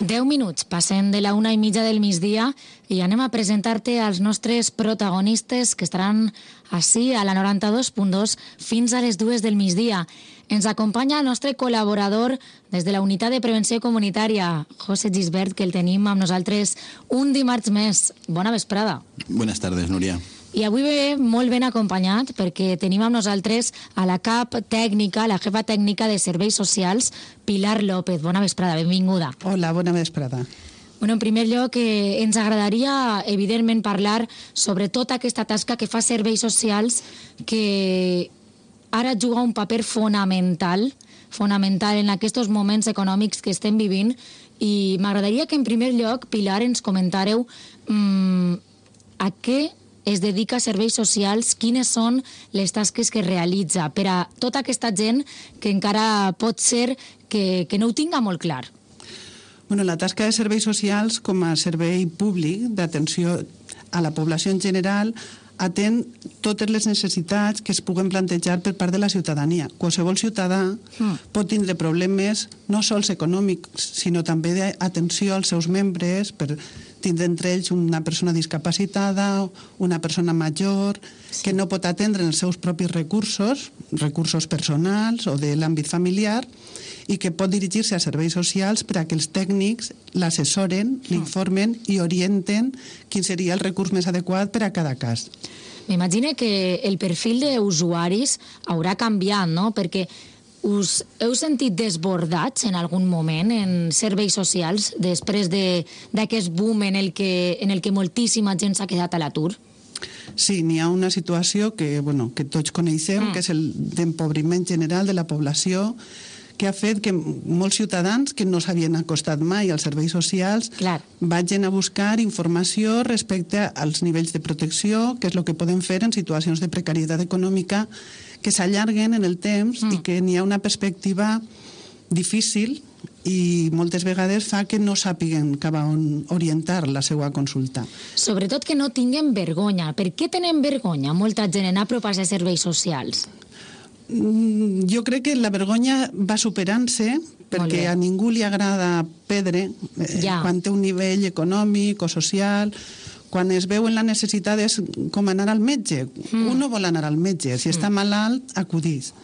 10 minuts, passem de la 1:30 del migdia i anem a presentar-te als nostres protagonistes que estaran ací a la 92.2 fins a les 2 del migdia. Ens acompanya el nostre col·laborador des de la Unitat de Prevenció Comunitària, José Gisbert, que el tenim amb nosaltres un dimarts més. Bona vesprada. Buenas tardes, Núria. I avui ve molt ben acompanyat perquè tenim amb nosaltres a la cap tècnica, la jefa tècnica de Serveis Socials, Pilar López. Bona vesprada, benvinguda. Hola, bona vesprada. Bueno, en primer lloc, ens agradaria, evidentment, parlar sobre tota aquesta tasca que fa Serveis Socials, que ara juga un paper fonamental en aquests moments econòmics que estem vivint, i m'agradaria que, en primer lloc, Pilar, ens comentàreu a què es dedica a Serveis Socials, quines són les tasques que realitza per a tota aquesta gent que encara pot ser que no ho tinga molt clar. Bueno, la tasca de Serveis Socials com a servei públic d'atenció a la població en general atén totes les necessitats que es puguen plantejar per part de la ciutadania. Qualsevol ciutadà pot tindre problemes no sols econòmics, sinó també d'atenció als seus membres, per tindre entre ells una persona discapacitada, una persona major, que no pot atendre els seus propis recursos personals o de l'àmbit familiar, i que pot dirigir-se a serveis socials per a que els tècnics l'assessoren, l'informen i orienten quin seria el recurs més adequat per a cada cas. M'imagino que el perfil d'usuaris haurà canviat, no? Perquè us heu sentit desbordats en algun moment en serveis socials després d'aquest boom en el que moltíssima gent s'ha quedat a l'atur? Sí, n'hi ha una situació que tots coneixem, que és el d'empobriment general de la població, que ha fet que molts ciutadans que no s'havien acostat mai als serveis socials vagin a buscar informació respecte als nivells de protecció, que és el que poden fer en situacions de precarietat econòmica que s'allarguen en el temps i que n'hi ha una perspectiva difícil i moltes vegades fa que no sàpiguen cap a on orientar la seva consulta. Sobretot que no tinguin vergonya. Per què tenen vergonya molta gent en apropar-se a serveis socials? Jo crec que la vergonya va superant-se perquè a ningú li agrada perdre quan té un nivell econòmic o social. Quan es veu en la necessitat és com anar al metge. Un no vol anar al metge. Si està malalt, acudís.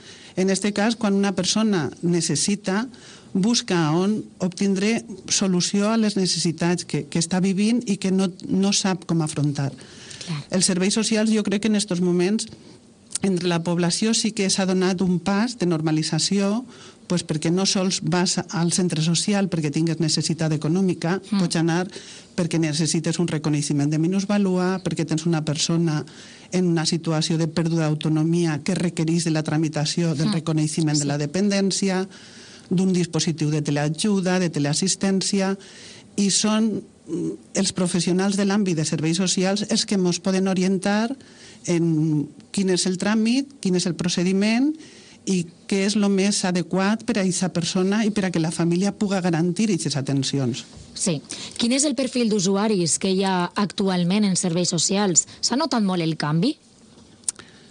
En aquest cas, quan una persona necessita, busca on obtindre solució a les necessitats que està vivint i que no sap com afrontar. Els serveis socials, jo crec que en aquests moments entre la població sí que s'ha donat un pas de normalització, perquè no sols vas al centre social perquè tingues necessitat econòmica, pots anar perquè necessites un reconeixement de minusvàlua, perquè tens una persona en una situació de pèrdua d'autonomia que requereix de la tramitació del reconeixement de la dependència, d'un dispositiu de teleajuda, de teleassistència, i són els professionals de l'àmbit de serveis socials els que ens poden orientar en quin és el tràmit, quin és el procediment i què és el més adequat per a aquesta persona i per a que la família pugui garantir aquestes atencions. Sí. Quin és el perfil d'usuaris que hi ha actualment en serveis socials? S'ha notat molt el canvi?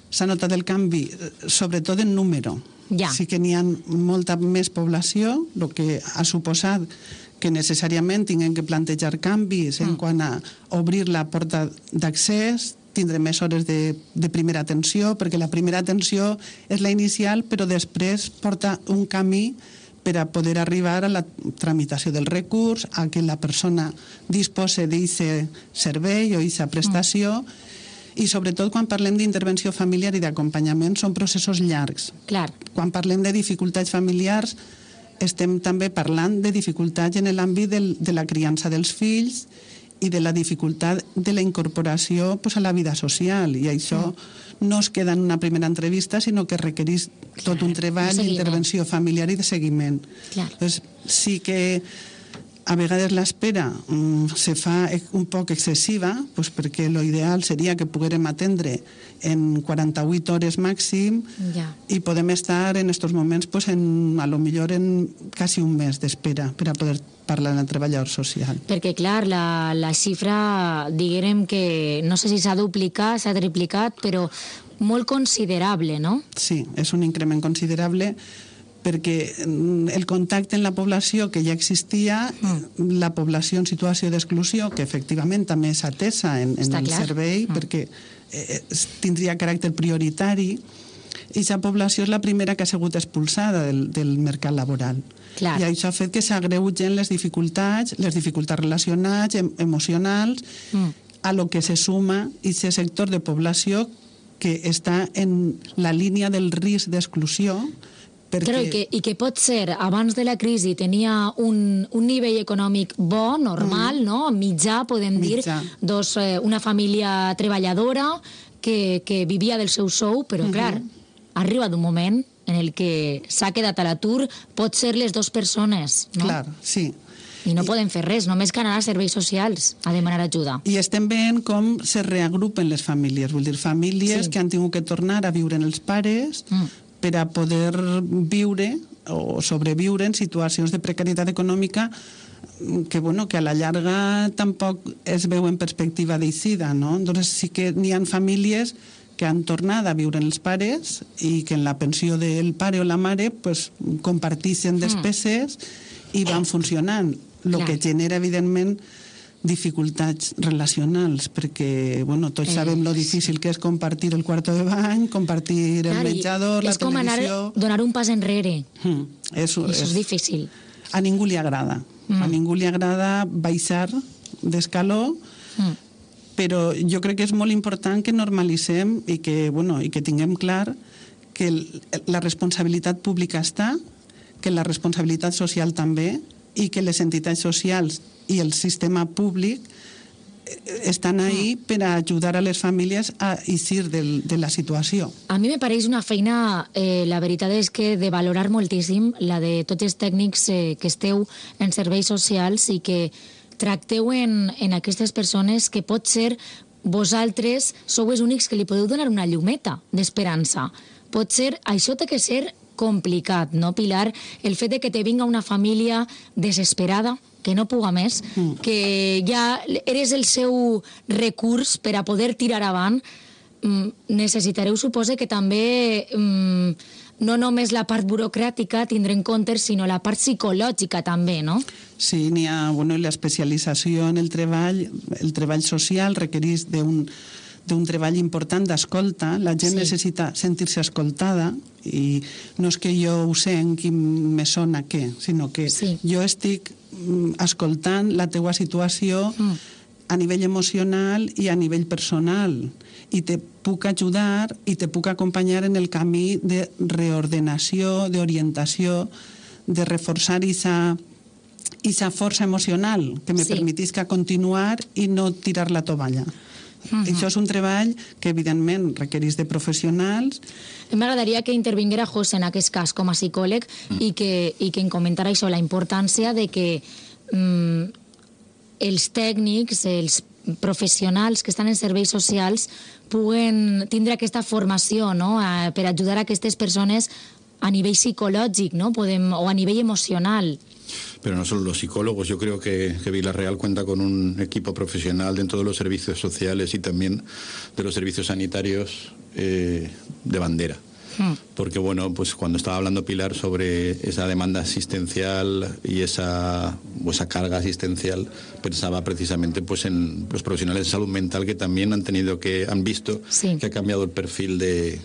S'ha notat el canvi, sobretot en número. Sí que n'hi ha molta més població, el que ha suposat que necessàriament tinguem que plantejar canvis en quant a obrir la porta d'accés, tindre més hores de primera atenció, perquè la primera atenció és la inicial, però després porta un camí per a poder arribar a la tramitació del recurs, a que la persona dispose d'aquest servei o d'aquesta prestació, i sobretot quan parlem d'intervenció familiar i d'acompanyament són processos llargs. Quan parlem de dificultats familiars estem també parlant de dificultats en l'àmbit de la criança dels fills i de la dificultat de la incorporació a la vida social, i això no es queda en una primera entrevista, sinó que requereix tot un treball d'intervenció familiar i de seguiment. Sí que a vegades l'espera se fa un poc excessiva, perquè l'ideal seria que poguérem atendre en 48 hores màxim i podem estar en aquests moments a lo millor en quasi un mes d'espera per a poder parlar amb el treballador social. Perquè, clar, la xifra, diguem que no sé si s'ha duplicat, s'ha triplicat, però molt considerable, no? Sí, és un increment considerable, perquè el contacte en la població que ja existia, la població en situació d'exclusió, que efectivament també és atesa en el servei, perquè tindria caràcter prioritari, i aquesta població és la primera que ha sigut expulsada del mercat laboral. Clar. I això ha fet que s'agreugen les dificultats relacionals, emocionals, a lo que se suma aquest sector de població que està en la línia del risc d'exclusió. Però i que pot ser, abans de la crisi tenia un nivell econòmic bo, normal, no? Mitjà, podem dir, una família treballadora que vivia del seu sou, però clar, ha arribat un moment en el que s'ha quedat a l'atur, pot ser les dues persones, no? Clar, sí. I no podem fer res, només que anar a serveis socials a demanar ajuda. I estem veient com se reagrupen les famílies, vull dir, famílies que han tingut que tornar a viure en els pares per a poder viure o sobreviure en situacions de precarietat econòmica que, bueno, que a la llarga tampoc es veu en perspectiva d'eixida, no? Entonces sí que n'hi ha famílies que han tornat a viure en els pares i que en la pensió del pare o la mare pues, comparteixen despeses i van funcionant, el que genera, evidentment, dificultats relacionals, perquè, bueno, tots sabem lo difícil que és compartir el quarto de bany, compartir el menjador, la televisió... És com anar, donar un pas enrere. Això és difícil. A ningú li agrada. A ningú li agrada baixar d'escaló, però jo crec que és molt important que normalitzem i que tinguem clar que la responsabilitat pública està, que la responsabilitat social també, i que les entitats socials i el sistema públic estan ahí per a ajudar a les famílies a eixir de la situació. A mi me pareix una feina, la veritat és que de valorar moltíssim, la de tots els tècnics que esteu en serveis socials i que tracteu en aquestes persones que pot ser vosaltres sou els únics que li podeu donar una llumeta d'esperança. Pot ser, això té que ser complicat, no, Pilar? El fet de que te vinga una família desesperada, que no puga més, que ja eres el seu recurs per a poder tirar avant, necessitareu, supose, que també no només la part burocràtica tindre en compte, sinó la part psicològica també, no? Sí, n'hi ha, l'especialització en el treball social requereix d'un treball important d'escolta. La gent necessita sentir-se escoltada i no és que jo ho sé en qui me sona què, sinó que jo estic escoltant la teua situació a nivell emocional i a nivell personal i te puc ajudar i te puc acompanyar en el camí de reordenació, d'orientació, de reforçar aquesta força emocional que me permetisca continuar i no tirar la tovalla. Això és un treball que, evidentment, requereix de professionals. M'agradaria que intervinguera José en aquest cas com a psicòleg i que em comentara això, la importància de que els tècnics, els professionals que estan en serveis socials puguen tindre aquesta formació, no?, per ajudar a aquestes persones a nivell psicològic, ¿no?, o a nivell emocional. Pero no solo los psicólogos, yo creo que Vila-real cuenta con un equipo profesional dentro de los servicios sociales y también de los servicios sanitarios de bandera. Porque, bueno, pues cuando estaba hablando Pilar sobre esa demanda asistencial y esa carga asistencial, pensaba precisamente pues en los profesionales de salud mental que también han visto que ha cambiado el perfil de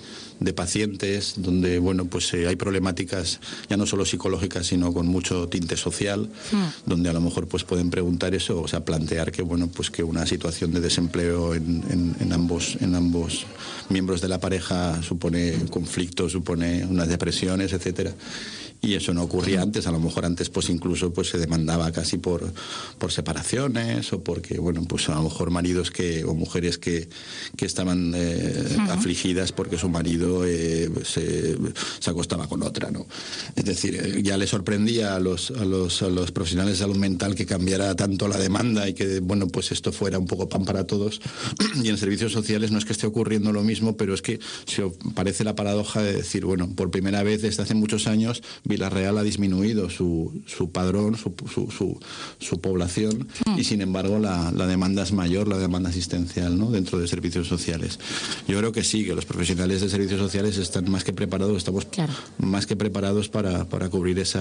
pacientes, donde, bueno, pues hay problemáticas ya no solo psicológicas, sino con mucho tinte social, donde a lo mejor pues pueden preguntar eso, o sea, plantear que, bueno, pues que una situación de desempleo en ambos miembros de la pareja supone conflictos, supone unas depresiones, etcétera. Y eso no ocurría antes, a lo mejor antes pues incluso pues se demandaba casi por separaciones o porque, bueno, pues a lo mejor maridos o mujeres que estaban afligidas porque su marido se acostaba con otra, ¿no? Es decir, ya le sorprendía a los profesionales de salud mental que cambiara tanto la demanda y que, bueno, pues esto fuera un poco pan para todos. Y en servicios sociales no es que esté ocurriendo lo mismo, pero es que se parece la paradoja de decir, bueno, por primera vez desde hace muchos años Vila-real ha disminuido su padrón, su población, y sin embargo la demanda es mayor, la demanda asistencial, ¿no?, dentro de servicios sociales. Yo creo que sí, que los profesionales de servicios sociales están más que preparados, estamos más que preparados para cubrir esa